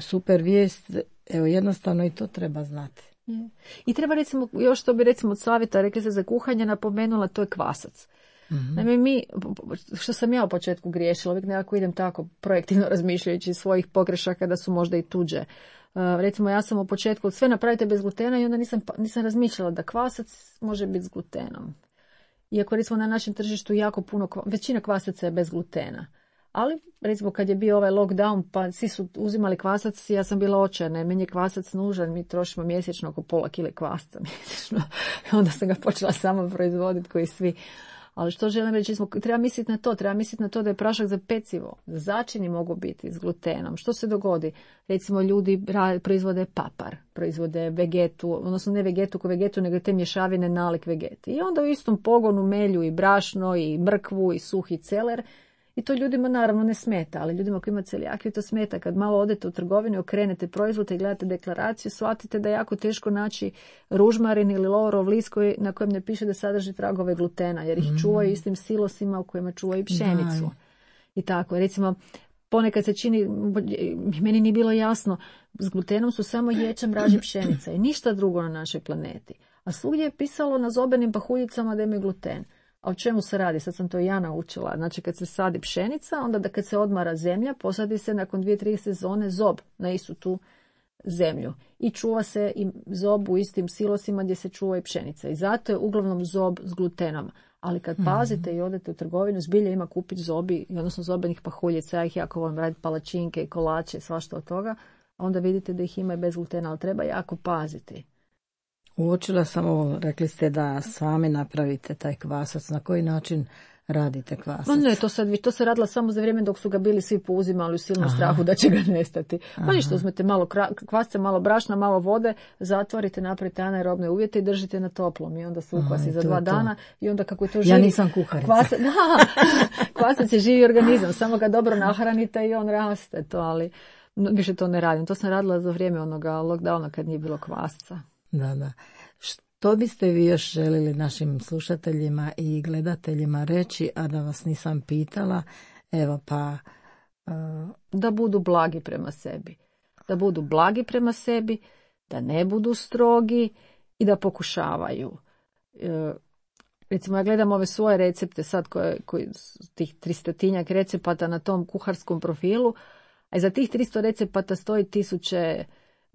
super vijest. Evo, jednostavno i to treba znati. I treba, recimo, još što bi recimo od savjeta, rekli ste za kuhanje, napomenula, to je kvasac. Naime, što sam ja u početku griješila, uvijek nekako idem tako projektivno razmišljajući svojih pogrešaka da su možda i tuđe. Recimo, ja sam u početku sve napravite bez glutena i onda nisam razmišljala da kvasac može biti s glutenom. Iako, recimo, na našem tržištu jako puno, većina kvasaca je bez glutena. Ali, recimo, kad je bio ovaj lockdown, pa svi su uzimali kvasac, ja sam bila očajna, meni je kvasac nužan, mi trošimo mjesečno oko pola kile kvasca mjesečno. Onda sam ga počela sama proizvoditi koji svi. Ali što želim reći, treba misliti na to da je prašak za pecivo, začini mogu biti s glutenom. Što se dogodi? Recimo, ljudi proizvode papar, proizvode vegetu, odnosno ne vegetu ko vegetu, nego te mješavine nalik vegeti. I onda u istom pogonu melju i brašno, i mrkvu, i suhi celer. I to ljudima naravno ne smeta, ali ljudima koji ima celijakiju to smeta. Kad malo odete u trgovinu, okrenete proizvode i gledate deklaraciju, shvatite da je jako teško naći ružmarin ili lovorov list na kojem ne piše da sadrži tragove glutena, jer ih čuvaju istim silosima u kojima čuvaju pšenicu. I tako, recimo, ponekad se čini, meni nije bilo jasno, s glutenom su samo ječam, mraž i pšenica i ništa drugo na našoj planeti. A svugdje je pisalo na zobenim pahuljicama da imaju gluten. A o čemu se radi? Sad sam to ja naučila. Znači, kad se sadi pšenica, onda da kad se odmara zemlja, posadi se nakon 2-3 sezone zob na istu tu zemlju. I čuva se i zob u istim silosima gdje se čuva i pšenica. I zato je uglavnom zob s glutenom. Ali kad pazite i odete u trgovinu, zbilja ima kupiti zobi, odnosno zobenih pahuljica. Ja ih jako volim raditi palačinke i kolače, svašta od toga. A onda vidite da ih ima i bez glutena, ali treba jako paziti. Uočila sam ovo, rekli ste da sami napravite taj kvasac. Na koji način radite kvasac? No ne, to se radila samo za vrijeme dok su ga bili svi pouzimali u silnom strahu da će ga nestati. Pa ništa, uzmete malo kvasca, malo brašna, malo vode, zatvorite, napravite anaerobne uvjete i držite na toplom. I onda se ukvasi za 2 dana. I onda kako je to živi... Ja nisam kuharica. Kvasac je živi organizam, samo ga dobro nahranite i on raste. Ali više to ne radim. To sam radila za vrijeme onoga lockdowna kad nije bilo kvasca. Da. Što biste vi još želili našim slušateljima i gledateljima reći, a da vas nisam pitala? Evo pa... Da budu blagi prema sebi. Da budu blagi prema sebi, da ne budu strogi i da pokušavaju. Recimo, ja gledam ove svoje recepte sad, tih 300-tinjak recepata na tom kuharskom profilu, a za tih 300 recepata stoji 1000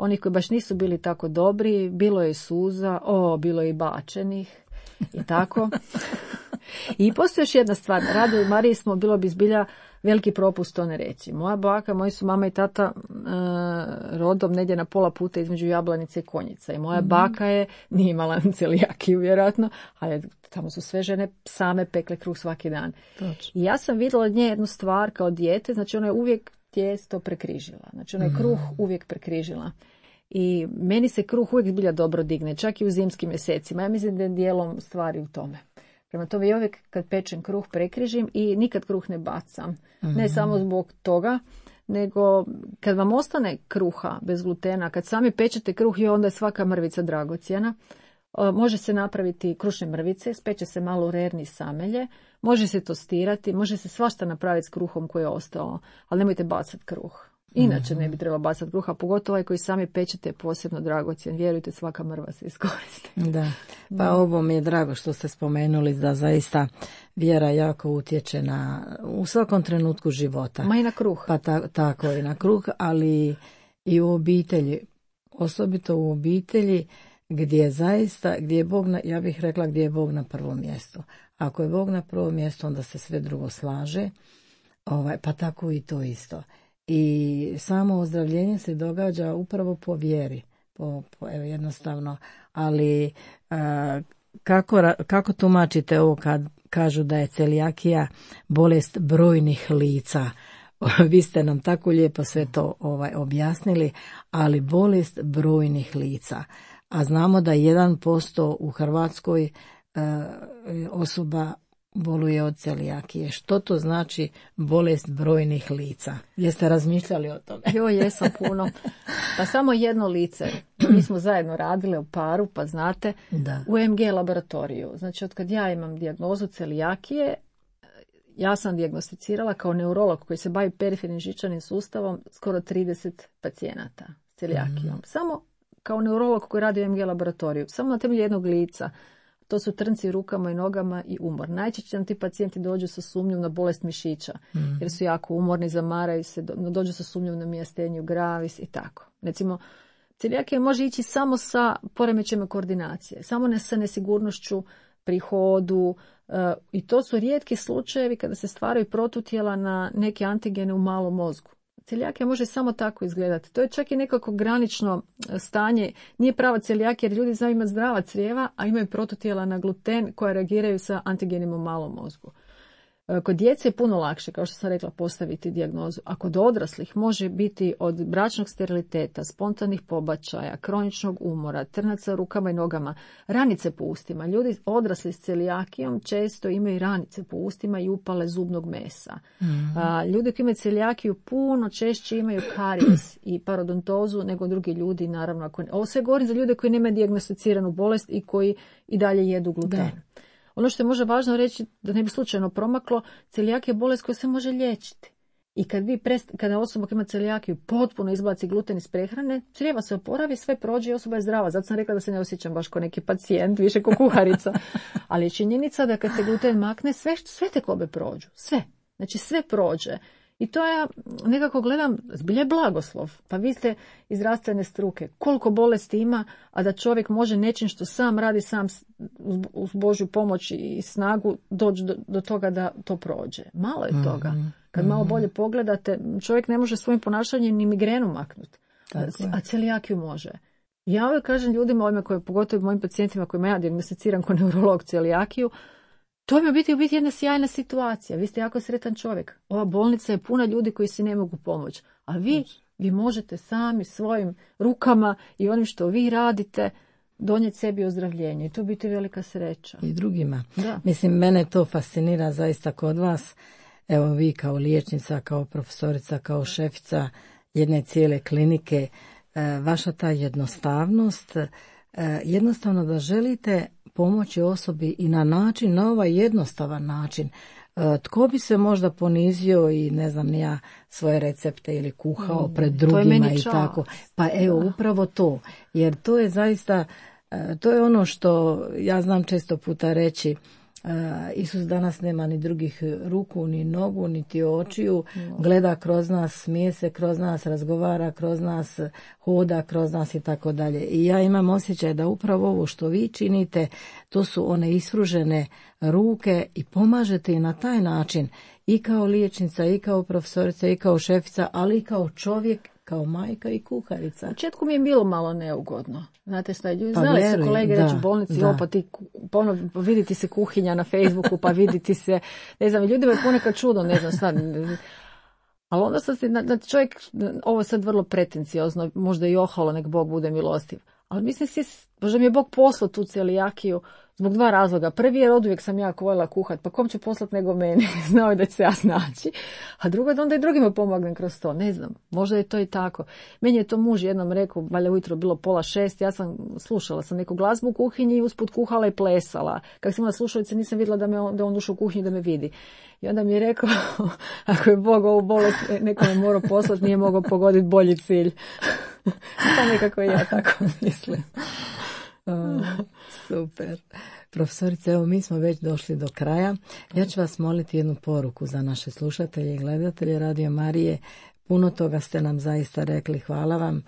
onih koji baš nisu bili tako dobri, bilo je suza, bilo je i bačenih i tako. I postoji još jedna stvar, Radu i Mariji bilo bi zbilja veliki propust to ne reći. Moja baka, moji su mama i tata rodom negdje na pola puta između Jablanice i Konjica. I moja baka nije imala celijakiju vjerojatno, ali tamo su sve žene same pekle kruh svaki dan. Točno. I ja sam vidjela od nje jednu stvar kao dijete, znači ona je uvijek tijesto prekrižila. Znači ona je kruh uvijek prekrižila. I meni se kruh uvijek zbilja dobro digne, čak i u zimskim mjesecima. Ja mislim da je dijelom stvari u tome. Prema tome, ja uvijek kad pečem kruh prekrižim i nikad kruh ne bacam. Ne samo zbog toga, nego kad vam ostane kruha bez glutena, kad sami pečete kruh i onda je svaka mrvica dragocjena, može se napraviti krušne mrvice, speče se malo u rerni samelje, može se tostirati, može se svašta napraviti s kruhom koji je ostao, ali nemojte bacati kruh. Inače ne bi trebalo bacati kruha, pogotovo ovaj koji sami pečete je posebno dragocjen. Vjerujte, svaka mrva se iskoristi. Da, pa ovo mi je drago što ste spomenuli da zaista vjera jako utječe u svakom trenutku života. Ma i na kruh. Pa tako i na kruh, ali i u obitelji, osobito u obitelji gdje je Bog, ja bih rekla gdje je Bog na prvom mjestu. Ako je Bog na prvom mjestu, onda se sve drugo slaže, pa tako i to isto. I samo ozdravljenje se događa upravo po vjeri, evo jednostavno, ali kako tumačite ovo kad kažu da je celijakija bolest brojnih lica? Vi ste nam tako lijepo sve to objasnili, ali bolest brojnih lica. A znamo da 1% u Hrvatskoj osoba boluje od celijakije. Što to znači bolest brojnih lica? Jeste razmišljali o tome? Jo, jesam puno. Pa samo jedno lice. Mi smo zajedno radile u paru, pa znate, u MG laboratoriju. Znači, od kad ja imam dijagnozu celijakije, ja sam dijagnosticirala kao neurolog koji se bavi perifernim živčanim sustavom skoro 30 pacijenata s celijakijom. Samo kao neurolog koji radi u MG laboratoriju. Samo na temelju jednog lica. To su trnci rukama i nogama i umor. Najčešće nam ti pacijenti dođu sa sumnjom na bolest mišića, jer su jako umorni, zamaraju se, dođu sa sumnjom na mijasteniju gravis i tako. Recimo, celijakija može ići samo sa poremećajima koordinacije, samo sa nesigurnošću pri hodu, i to su rijetki slučajevi kada se stvaraju protutijela na neke antigene u malom mozgu. Celijakija može samo tako izgledati. To je čak i nekako granično stanje. Nije prava celijakija jer ljudi znaju imati zdrava crijeva, a imaju protutijela na gluten koja reagiraju sa antigenima u malom mozgu. Kod djece je puno lakše, kao što sam rekla, postaviti dijagnozu. A kod odraslih može biti od bračnog steriliteta, spontanih pobačaja, kroničnog umora, trnaca u rukama i nogama, ranice po ustima. Ljudi odrasli s celijakijom često imaju ranice po ustima i upale zubnog mesa. Ljudi koji imaju celijakiju puno češće imaju karijes i parodontozu nego drugi ljudi, naravno. Ovo sve govorim za ljude koji nemaju dijagnosticiranu bolest i koji i dalje jedu gluten. Da. Ono što je možda važno reći, da ne bi slučajno promaklo, celijakija je bolest koja se može liječiti. I kada osoba koja ima celijakiju potpuno izbaci gluten iz prehrane, crijeva se oporavi, sve prođe i osoba je zdrava. Zato sam rekla da se ne osjećam baš kao neki pacijent, više kao kuharica. Ali je činjenica da kad se gluten makne, sve tekobe prođu. Sve. Znači sve prođe. I to ja nekako gledam, zbilja je blagoslov. Pa vi ste iz zdravstvene struke. Koliko bolesti ima, a da čovjek može nečim što sam radi, sam uz Božju pomoć i snagu doći do toga da to prođe. Malo je toga. Kad malo bolje pogledate, čovjek ne može svojim ponašanjem ni migrenu maknuti. A celijakiju može. Ja uvijek kažem ljudima, pogotovo mojim pacijentima kojima ja dijagnosticiram kao neurolog celijakiju, to mi u biti jedna sjajna situacija. Vi ste jako sretan čovjek. Ova bolnica je puna ljudi koji si ne mogu pomoći. A vi možete sami svojim rukama i onim što vi radite donijeti sebi ozdravljenje. I to biti velika sreća. I drugima. Da. Mislim, mene to fascinira zaista kod vas. Evo vi kao liječnica, kao profesorica, kao šefica jedne cijele klinike, vaša ta jednostavnost, jednostavno da želite pomoći osobi i na ovaj jednostavan način. Tko bi se možda ponizio i ne znam ni ja svoje recepte ili kuhao pred drugima i tako. Pa evo upravo to. Jer to je zaista, to je ono što ja znam često puta reći. Isus danas nema ni drugih ruku, ni nogu, niti očiju, gleda kroz nas, smije se kroz nas, razgovara kroz nas, hoda kroz nas i tako dalje. I ja imam osjećaj da upravo ovo što vi činite, to su one isfružene ruke i pomažete i na taj način i kao liječnica, i kao profesorica, i kao šefica, ali i kao čovjek, kao majka i kuharica. U početku mi je bilo malo neugodno. Znate šta, znali su kolege reći u bolnici, pa ti viditi se kuhinja na Facebooku, pa viditi se, ne znam, ljudima je ponekad čudno, ne znam šta. Ali onda sam si, čovjek, ovo je sad vrlo pretenciozno, možda i oholo, nek Bog bude milostiv. Ali mislim, možda mi je Bog poslao tu celijakiju zbog 2 razloga. Prvi je, oduvijek sam jako voljela kuhat, pa kom će poslati nego meni, znao je da će se ja snaći. A drugo je da onda i drugima pomognem kroz to, ne znam, možda je to i tako. Meni je to muž jednom rekao, valjda ujutro bilo 5:30, ja sam slušala sam neku glazbu u kuhinji i usput kuhala i plesala. Kako sam imala slušalice, nisam vidjela da on ušao u kuhinju da me vidi. I onda mi je rekao, ako je Bog ovu bolest nekome morao poslati, nije mogao pogoditi bolji cilj. Pa nekako ja tako mislim. Super. Profesorice, evo mi smo već došli do kraja. Ja ću vas moliti jednu poruku za naše slušatelje i gledatelje Radio Marije. Puno toga ste nam zaista rekli, hvala vam.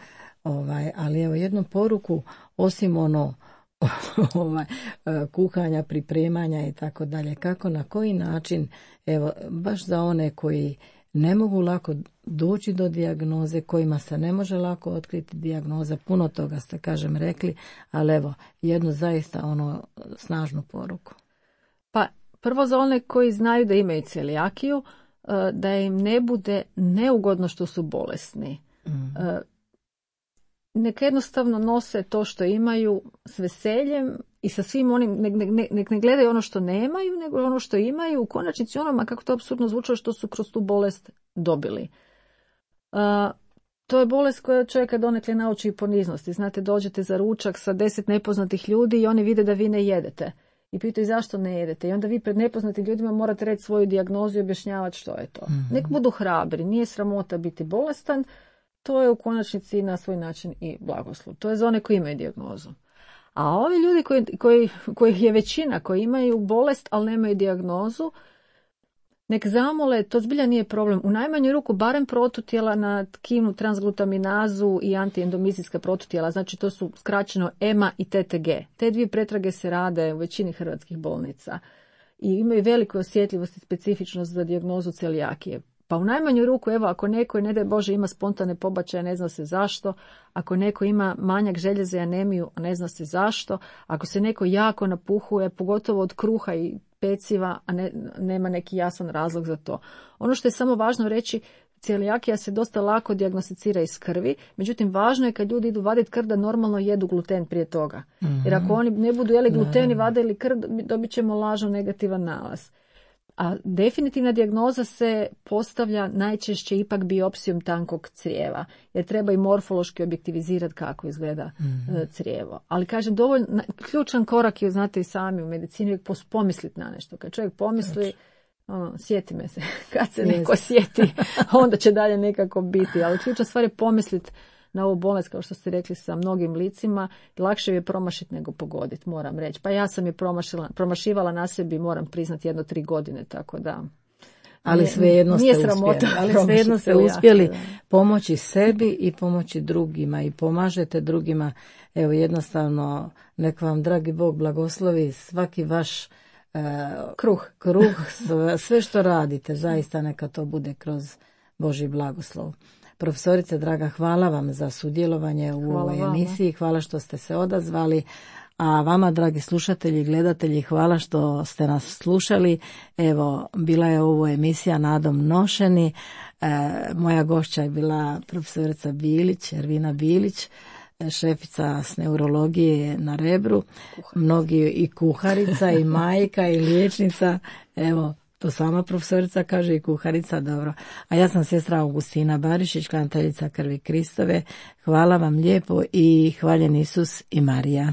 Ali evo jednu poruku, osim kuhanja, pripremanja i tako dalje. Kako, na koji način, evo, baš za one koji ne mogu lako doći do dijagnoze, kojima se ne može lako otkriti dijagnoza, puno toga ste, kažem, rekli, ali evo, jednu zaista snažnu poruku. Pa, prvo za one koji znaju da imaju celijakiju, da im ne bude neugodno što su bolesni. Neka jednostavno nose to što imaju s veseljem i sa svim onim, nek ne gledaju ono što nemaju, nego ono što imaju, u konačnici onoma, kako to apsurdno zvučalo, što su kroz tu bolest dobili. To je bolest koja čovjeka donekle nauči i poniznosti. Znate, dođete za ručak sa 10 nepoznatih ljudi i oni vide da vi ne jedete. I pitaju zašto ne jedete. I onda vi pred nepoznatim ljudima morate reći svoju dijagnozu i objašnjavati što je to. Nek budu hrabri, nije sramota biti bolestan, to je u konačnici na svoj način i blagoslov. To je za one koji imaju dijagnozu. A ovi ljudi koji je većina, koji imaju bolest, ali nemaju dijagnozu, nek zamole, to zbilja nije problem. U najmanju ruku barem protutijela na tkivnu transglutaminazu i antiendomizijska protutijela, znači to su skraćeno EMA i TTG. Te 2 pretrage se rade u većini hrvatskih bolnica i imaju veliku osjetljivost i specifičnost za dijagnozu celijakije. Pa u najmanju ruku, evo, ako neko, ne daj Bože, ima spontane pobačaje, ne zna se zašto, ako neko ima manjak željeza i anemiju, ne zna se zašto, ako se neko jako napuhuje, pogotovo od kruha i peciva, a nema neki jasan razlog za to. Ono što je samo važno reći, celijakija se dosta lako dijagnosticira iz krvi, međutim važno je kad ljudi idu vaditi krv da normalno jedu gluten prije toga. Jer ako oni ne budu jeli gluten i vadili krv, dobit ćemo lažno negativan nalaz. A definitivna dijagnoza se postavlja najčešće ipak biopsijom tankog crijeva, jer treba i morfološki objektivizirati kako izgleda crijevo. Ali kažem, dovoljno, ključan korak je, znate i sami u medicini, uvijek pomisliti na nešto. Kad čovjek pomisli, sjeti me se, kad se neko sjeti, onda će dalje nekako biti. Ali ključna stvar je pomisliti na ovu bolest, kao što ste rekli, sa mnogim licima. Lakše je promašiti nego pogoditi, moram reći. Pa ja sam je promašivala na sebi, moram priznati, 3 godine, tako da... Ali svejedno ste uspjeli pomoći sebi i pomoći drugima i pomažete drugima. Evo, jednostavno, nek vam dragi Bog blagoslovi svaki vaš kruh, sve što radite, zaista neka to bude kroz Božji blagoslov. Profesorice, draga, hvala vam za sudjelovanje u ovoj emisiji, hvala što ste se odazvali, a vama, dragi slušatelji i gledatelji, hvala što ste nas slušali. Evo, bila je ovo emisija Nadom nošeni, moja gošća je bila profesorica Bilić, Ervina Bilić, šefica s neurologije na Rebru, mnogi i kuharica i majka i liječnica, evo, to sama profesorica kaže i kuharica, dobro. A ja sam sestra Augustina Barišić, klanteljica krvi Kristove. Hvala vam lijepo i hvaljen Isus i Marija.